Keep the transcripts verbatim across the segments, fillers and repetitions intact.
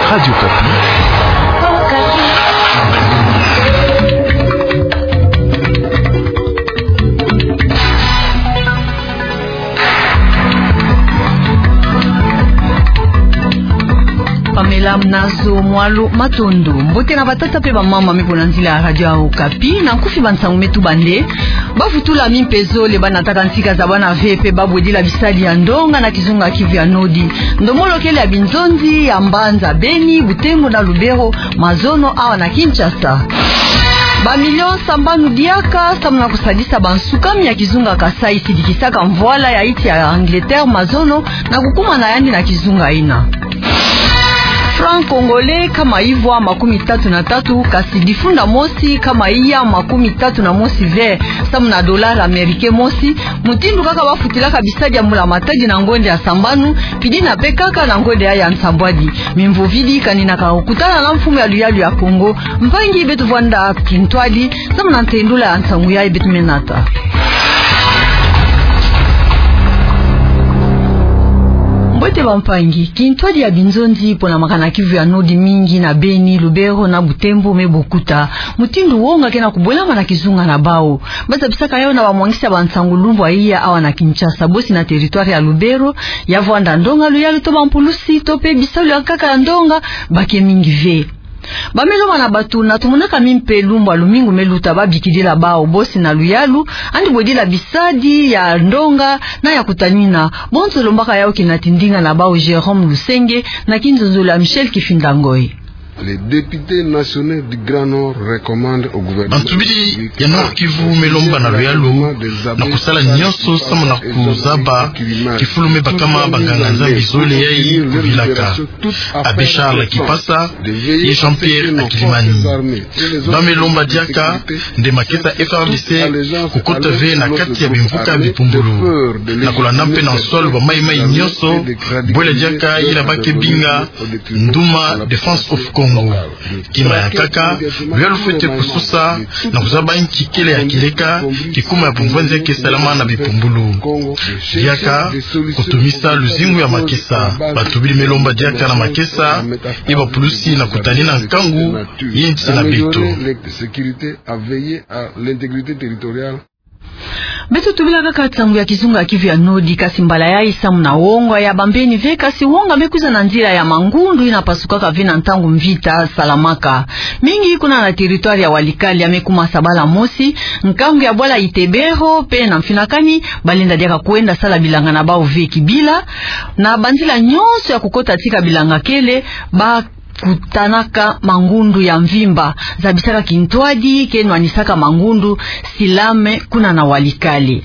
Radio Okapi. Pamela mnazo mwalo matondo. Mbote na batata pe bamama me bo na nzila ya Radio Okapi, na nkufi bansangu me tubanda. Bavutula mimpe zole, banataka ntika za bana ve pe babwedila bisadi ya ndonga na kizunga Kivu ya Nodi. Ndomolo kele ya binzonzi ya mbanza Beni, Butembo na Lubero, mazono awa na Kinshasa. Ba millions sambanu diaka samu na kusadisa bansukami ya kizunga Kasaï sidikisaka mvwala ya insi ya Angleterre mazono na kukuma na yandi na kizunga yina. Franc congolais nkama ivwa makumi tatu na tatu, kasi difunda mosi nkama iya makumi tatu na mosi ve samu na dollar américain mosi, mutindu kaka bafutilaka bisadi ya mbula matadi na ngonde ya sambanu, pidi na pe kaka na ngonde ya, ya nsambwadi. Mimvovidi kaninaka kutana na mfumu ya luyalu ya Kongo, mpangi beto Vwanda Kintwadi, samu na ntendula ya nsangu yayi beto me nata. Mbote bampangi, kintwadi ya binzonzi pona makana Kivu ya Nodi mingi na Beni, Lubero na Butembo me bokuta. Mutindu wonga kena kubwelama na kizunga na bawu. Bazabisaka yawu na bamwangisi ya bansangu lumbu ya iya awa na Kinshasa, bosi na territoire ya Lubero, ya vwanda ndonga, luyalu to bampulusi, to pe bisalu ya nkaka ya ndonga, ba ke mingi ve. Ba me lomba na bato na tumonaka mimpe lumbu ya lumingu me luta, babikidila bawu bosi na luyalu, yandi bwedila bisadi ya ndonga na ya kutanina. Bonso lombaka yawu kina tindinga na bawu Jérôme Lusenge na kinzonzolo ya Michel Kifinda Ngoy. Les députés nationaux du Grand Nord recommandent au gouvernement. Bantubidi ya Nord-Kivu me lomba na luyalu na kusala nyonso samu na kuzaba kifulu me bakama banganga-Nzambi zole yayi kuvilaka. Abbé Charles Kipasa ye Jean-Pierre Akilimani. Ba me lomba diaka nde makesa F R D C kukota ve na kati ya bimvuka bipumbulu, na kulanda mpe na nswalu bamayi-mayi nyonso, bwela diaka yina ba ke binga Nduma Defense of Congo. Kima ya nkaka, luyalu fwete kusosa na kuzaba nki kele ya kileka kikuma ya bumvwanzi ya ke salama na bipumbulu. Diaka kutumisa luzingu ya makesa. Bantubidi me lomba diaka na makesa ye bapulusi na kutanina nkangu ya insi na beto. Beto tubila kaka nsangu ya kizunga Kivu ya Nodi, kasi mbala yayi samu na wonga ya bambeni ve, kasi wonga me kwiza na nzila ya mangundu yina pasukaka ve na ntangu mvita salamaka. Mingi kuna na territoire ya Walikale ya me kuma sabala mosi, nkangu ya bwala Itebero pe na Mfinakani, balenda diaka kwenda sala bilanga na bawu ve kibila. Na banzila nyonso ya kukota tika bilanga kele, ba kutanaka mangundu ya mvimba, zabisaka kintwadi ke nwanisaka mangundu, Silame, kuna na Walikale.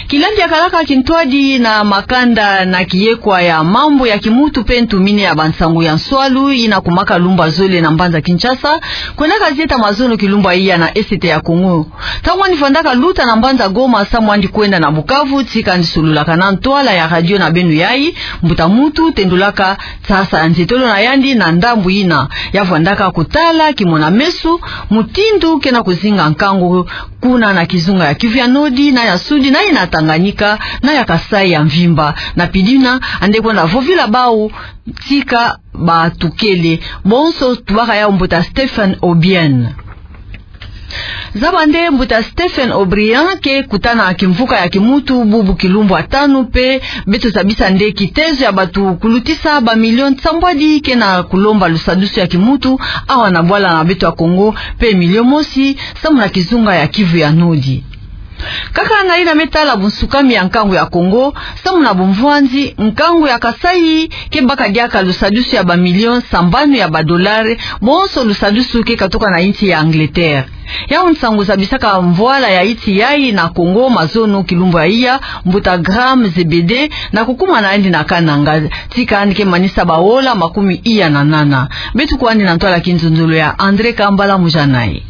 Kilambi ya kalaka kintwadi na makanda na kiyekwa ya mambu ya kimuntu pe ntumini ya bansangu ya nswalu yina kumaka lumbu ya zole na mbanza Kinshasa, kwendaka zieta mazono kilumbu ya iya na Est ya Kongo. Ntangu yandi vandaka luta na mbanza Goma samu yandi kwenda na Bukavu, tika yandi sololaka na ntwala ya radio na beno yayi, mbuta muntu tendulaka nsasa ya nzietolo na yandi na ndambu yina ya vandaka kutala kimona-meso mutindu kena kuzinga nkangu kuna na kizunga ya Kivu ya Nodi, na ya Sudi, na yina Tanganyika, na ya Kasaï ya mvimba. Na pidina, yandi kwenda vovila bawu tika batukele. Bonso tubaka yawu mbuta Stephen Obiang. Zaba nde mbuta Stephen Obiang ke kutana kimvuka ya kimuntu bubu kilumbu ya tanu pe beto zabisa nde kitezo ya bato kulutisa ba millions nsambwadi kena kulomba lusadusu ya kimuntu awa na bwala na beto ya Kongo pe million mosi samu na kizunga ya Kivu ya Nodi. Kaka na yina me tala bunsukami ya nkangu ya Kongo, samu na bumvwanzi, nkangu ya Kasaï ke baka diaka lusadusu ya ba millions sambanu ya ba dollars, bonso lusadusu ke katuka na insi ya Angleterre. Yawu nsangu zabisaka mvwala ya insi yayi na Kongo mazono kilumbu ya iya, mbuta Graham Zebede, na kukuma na yandi na Kananga, tika yandi ke manisa baola makumi iya na nana. Beto kwandi na ntwala kinzonzolo ya André Kambala Mujanayi.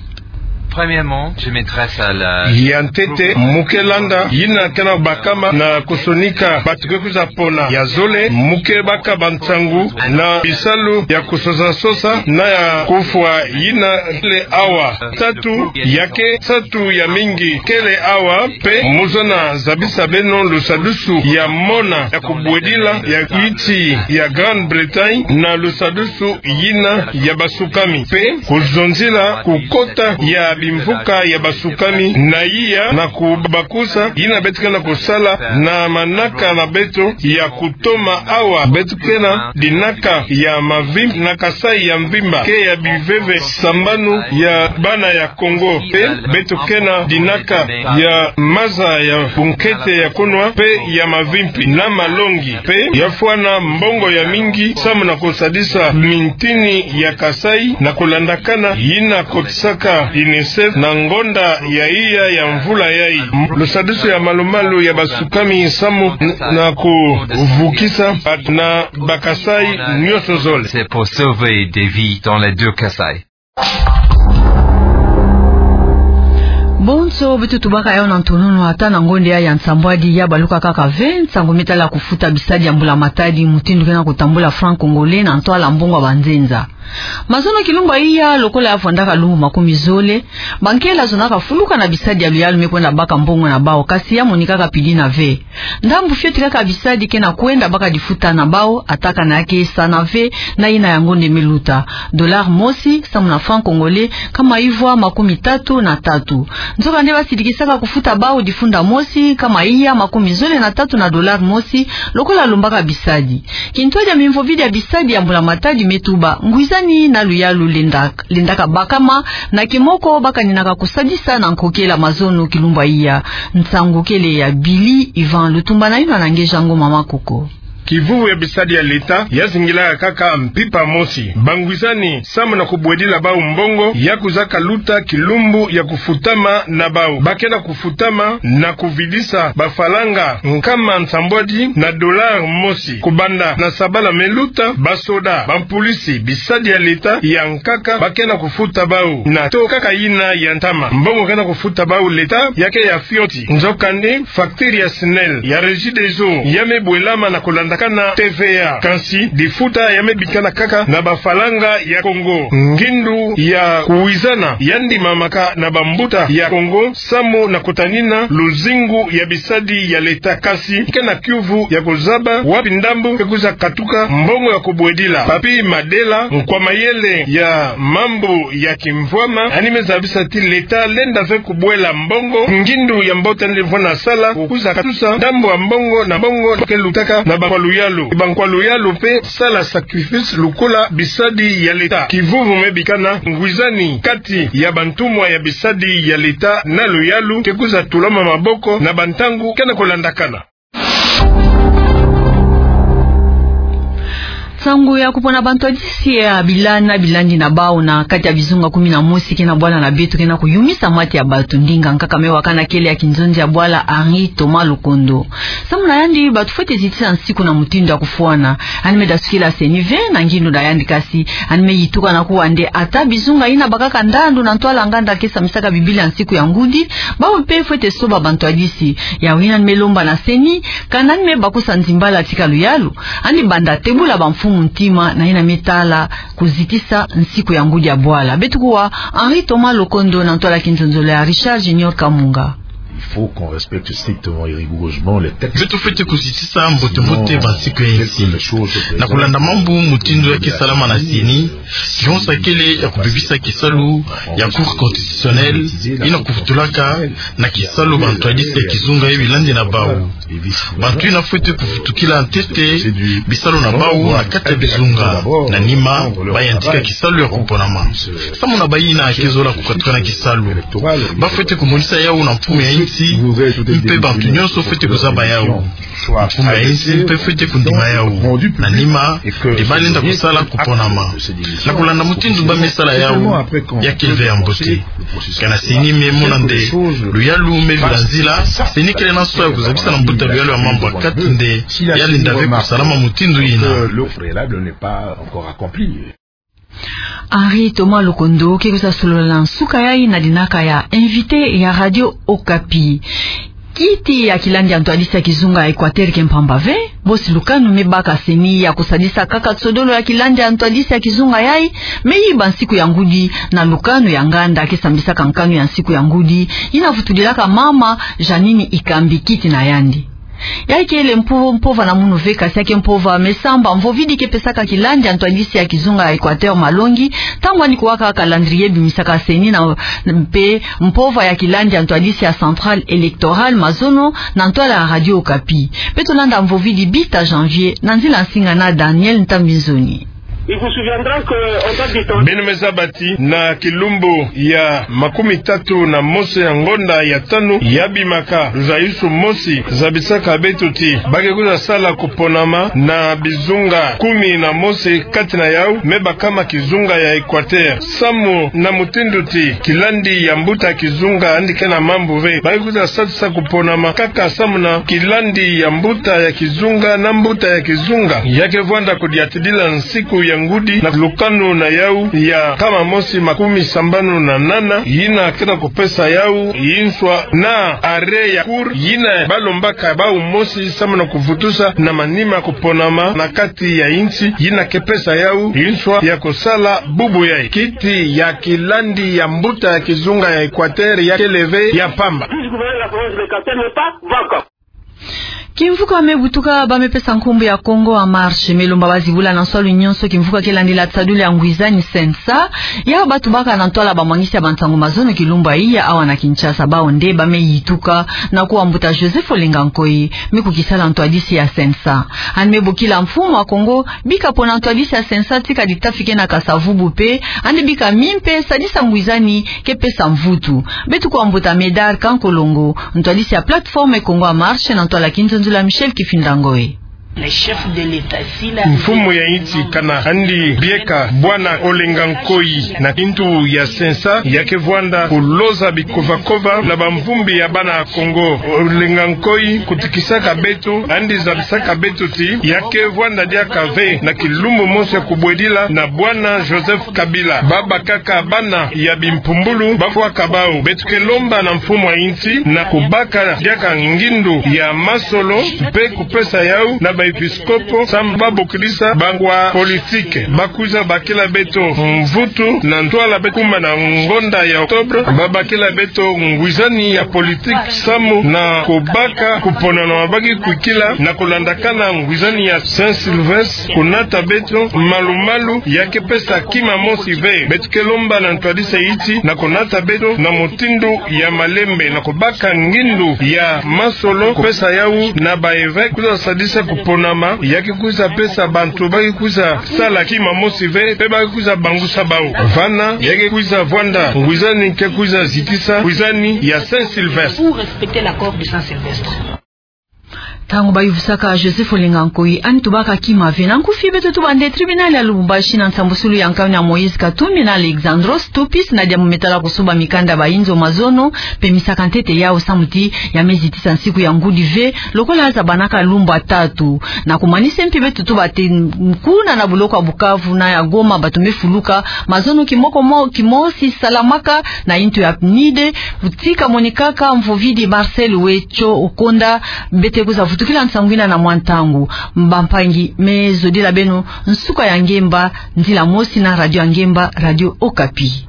Premièrement, je m'adresse à la... Ya ntete, mu ke landa yina ke na bakama na kusonika bato ke kwiza pona. Ya zole, mu ke baka bansangu na bisalu ya kusosa-sosa na ya kufwa yina kele awa. Tatu, ya ke nsatu ya mingi kele awa, mpe mu zona zabisa beno lusadusu ya mona ya kubwedila ya kiti ya Grande-Bretagne na lusadusu yina ya basukami, mpe kuzonzila kukota ya bimvuka ya basukami na iya na kubakusa yina beto ke na kusala na manaka na beto ya kutoma awa. Beto ke na dinaka ya mavimpi na Kasaï ya mvimba, ke ya biveve sambanu ya bana ya Kongo, mpe beto ke na dinaka ya maza ya bunkete ya kunwa mpe ya mavimpi na malongi, mpe ya fwana mbongo ya mingi samu na kusadisa mintini ya Kasaï na kulandakana yina kotisaka UNICEF na ngonda ya iya ya mvula yai. Lusadusu ya malu-malu ya basukami samu n-, na kuvukisa bato na Bakasaï nyonso zole. C'est pour sauver des vies dans les deux Kasaï. Bonso beto tubaka yawu na ntonono, ata na ngonda ya nsambwadi ya baluka kaka ve nsangu mi tala kufuta bisadi ya mbula matadi, mutindu ke na kutambula franc congolais na ntwala mbongo ya banzenza. Mazono kilumbu ya iya, lokola ya vwandaka lumbu makumi zole, bankela zonaka fuluka na bisadi ya luyalu me kwenda baka mbongo na bawu, kasi ya monikaka pili na ve. Ndambu fioti kaka bisadi ke na kwenda baka difuta na bawu, ata kana ya ke sana ve na yina ya ngonda me luta. Dollar mosi samu na franc congolais nkama ivwa makumi tatu na tatu. Nzokande basidikisaka kufuta bawu difunda mosi nkama iya makumi zole na tatu na dollar mosi, lokola lombaka bisadi. Kintwadi ya mimvovidi ya bisadi ya mbula matadi me tuba: Ngwizani na luyalu lenda, lendaka bakama na kimoko bakaninaka kusadisa na nkokela mazono kilumbu ya iya. Nsangu kele ya Billy Ivan Lutumba na yinwa na nge Jango Mama Koko. Kivuvu ya bisadi ya leta ya zingilaka kaka mpimpa mosi. Bangwizani samu na kubwedila bawu mbongo ya kwiza kaluta kilumbu ya kufutama na bawu. Ba ke na kufutama na kuvidisa bafalanga nkama nsambwadi na dollar mosi. Kubanda na sabala me luta, basoda, bampulisi, bisadi ya leta ya nkaka ba ke na kufuta bawu na taux kaka yina ya ntama. Mbongo ke na kufuta bawu leta ya ke ya fioti. Nzokande, facture ya SNEL, ya Regideso ya me bwelama na kulandakana T V A. Kansi difuta ya me bikana kaka na bafalanga ya Congo. Ngindu ya kuwizana ya ndimamaka na bambuta ya Congo samu na kutanina luzingu ya bisadi ya leta, kasi ke na kiuvu ya kuzaba wapi ndambu ke kwiza katuka mbongo ya kubwedila. Papy Madela, nkwa mayele ya mambu ya kimvwama, yandi me zabisa ti leta lenda ve kubwela mbongo, ngindu ya mbote yandi vwanda sala, kukwiza katusa ndambu ya mbongo na mbongo ke lutaka na bankwa luyalu. Bankwa luyalu mpe sala sacrifice lokola bisadi ya leta. Kivuvu me bikana ngwizani kati ya bantumwa ya bisadi ya leta na luyalu ke kwiza tulama maboko na bantangu ke na kulandakana. Nsangu ya kupona bantwadisi ya bila na bilandi na bawu na kati ya bizunga kumi na mosi ke na bwala na beto ke na kuyumisa mate ya bato. Ndinga nkaka me wakana kele ya kinzonzi ya bwala Henri Thomas Lokondo. Samu na yandi, bato fwete zitisa nsiku na mutindu ya kufwana. Yandi me dasukila CENI ve na ngindu na yandi, kasi yandi me yituka na kuwa nde ata bizunga yina bakaka ndandu na ntwala nganda ke sambisaka Biblia nsiku ya ngudi, bawu mpe fwete soba bantwadisi. Yawu yina yandi me lomba na CENI, kana yandi me bakusa nzimbala tika luyalu, yandi banda tebula bamfumu ntima na yina me tala kuzitisa nsiku ya ngudi ya bwala. Beto kuwa Henri Thomas Lokondo na ntwala kinzonzolo ya Richard Junior Kamunga. Il faut qu'on respecte strictement et rigoureusement les textes. Beto fwete kuzitisa mbote-mbote bansiku ya insi na kulanda mambu mutindu ya ke salama na CENI. Kihonsa kele ya kubebisa kisalu ya Cour constitutionnelle yina kuvutulaka na kisalu bantwadisi ya kizunga ya bilandi na bawu. Bantu yina fwete kuvutukila ntete bisalu na bawu na kati ya bizunga. Na nima, ba yantika kisalu ya kuponama. Samu na bayina ke zola kukatuka na kisalu, ba fwete kumonisa yawu na mfumu ya insi, mpe bantu nyonso fwete kuzaba yawu. Mfumu ya insi mpe fwete kundima yawu. Na nima, nde ba lenda kusala kuponama. Na kulanda mutindu ba me sala yawu, ya kele ve ya mbote. Kana CENI me mona nde luyalu me vila nzila, CENI kele na nso ya kuzabisa na mbuta luyalu ya mambu ya kati nde ya lenda ve kusalama mutindu yina. Henri Thomas Lokondo ke kwiza solola na nsuka yayi na dinaka ya invité ya Radio Okapi. Kiti ya kilandi ya ntwadisi ya kizunga ya Equateur ke mpamba ve. Bosi lukanu me baka CENI ya kusadisa kaka nsodolo ya kilandi ya ntwadisi ya kizunga yayi, me yiba nsiku ya ngudi na lukanu ya nganda ke sambisaka nkanu ya nsiku ya ngudi, yina vutudilaka mama Jeanine Ikambi kiti na yandi. Yayi kele mpo-, mpova na munu ve, kasi ya ke mpova me samba mvovidi ke pesaka kilandi ya ntwadisi ya kizunga ya Equateur malongi, ntangu yandi kuwaka calendrier bimisaka CENI na, mpe mpova ya kilandi ya ntwadisi ya Centrale Électorale mazono na ntwala ya Radio Okapi. Beto landa mvovidi Bita Janvier na nzila nsinga na Daniel Ntambinzoni. Il vous souviendra que on date du temps. Beno me zaba ti na kilumbu ya makumi tatu na mosi ya ngonda ya tanu ya bimaka, luzayusu mosi zabisaka beto ti ba ke kwiza sala kuponama na bizunga kumi na mosi, kati na yawu me bakama kizunga ya Equateur. Samu na mutindu ti kilandi ya mbuta kizunga yandi ke na mambu ve, ba ke kwiza sadisa kuponama kaka samu na kilandi ya mbuta ya kizunga na mbuta ya kizunga. Ya ke vwanda kudiatidila nsiku ya ngudi na lukanu na yawu ya nkama mosi makumi sambanu na nana, yina ke na kupesa yawu inswa na arrêt ya Cour yina ba lombaka bawu mosi samu na kuvutusa na manima kuponama na kati ya insi, yina ke pesa yawu inswa ya kusala bubu yayi. Kiti ya kilandi ya mbuta ya kizunga ya Equateur ya kele ve ya mpamba. Kimvuka me butuka ba me pesa nkumbu ya Congo en Marche, me lomba ba zibula na nswalu nyonso kimvuka ke landila nsadulu ya ngwizani, CENSA, ya ba tubaka na ntwala bamwangisi ya bansangu mazono kilumbu yayi awa na Kinshasa. Bawu nde ba me yituka na kuwa mbuta Joseph Olenga Nkoy, me kukisala ntwadisi ya CENSA. Yandi me bokila mfumu wa Congo bika pona ntwadisi ya CENSA tika ditafi ke na kasa vubu mpe yandi bika mi mpe sadisa ngwizani ke pesa mvutu. Beto kuwa mbuta Médard Kankolongo, ntwadisi ya Plateforme Congo en Marche, na ntwala kinzonzolo ya Michel Kifinda Ngoy. Mfumu ya insi kana yandi bieka bwana Olenga Nkoy na kintu ya CENSA, ya ke vwanda kuloza bikovakova na bamvumbi ya bana Congo. Olenga Nkoy kutikisaka beto, yandi zabisaka beto ti ya ke vwanda diaka ve na kilumbu mosi ya kubwedila na bwana Joseph Kabila. Ba bakaka bana ya bimpumbulu, ba fwaka bawu. Beto ke lomba na mfumu ya insi na kubaka diaka ngindu ya masolo, mpe kupesa yawu na baepiskopo samu ba bokilisa bangwa politique. Ba kwiza bakila beto mvutu na ntwala beto kuma na ngonda ya octobre. Ba bakila beto ngwizani ya politique samu na kubaka kuponama ba ke kwikila na kulandakana ngwizani ya Saint-Sylvestre, kunata beto malu-malu ya ke pesa kima mosi ve. Beto ke lomba na ntwadisi ya insi na kunata beto na mutindu ya malembe na kubaka ngindu ya masolo, kupesa yawu na baevêque, kwiza sadisa kuponama ya ke kwiza pesa bantu ba ke kwiza sala kima mosi ve, mpe ba ke kwiza bangusa bawu. Vana ya ke kwiza vwanda ngwizani ke kwiza zitisa ngwizani ya Saint-Sylvestre. Pour respecter l'accord de Saint-Sylvestre. Ntangu ba yuvusaka Joseph Olenga Nkoy, yandi tubaka kima ve. Na nkufi beto tuba nde tribunal ya Lubumbashi na nsambusulu ya nkanu ya Moïse Katumbi na Alexandros Topis na diambu me tala kusuba mikanda ba inzo mazono, pemisaka ntete yawu samu ti ya me zitisa nsiku ya ngudi ve, lokola zabanaka lumbu ya tatu. Na kumanisa mpi beto tuba ti kuna na buloko ya Bukavu na ya Goma bato me fuluka, mazono kimoko mo-, kimosi salamaka na intu ya PNUD, kutika monikaka mvovidi Marcel Wetcho Okonda, bete kwiza vutukila nsangu yina na mwa ntangu. Bampangi, me zodila beno nsuka ya ngemba, nzila mosi na radio ya ngemba, Radio Okapi.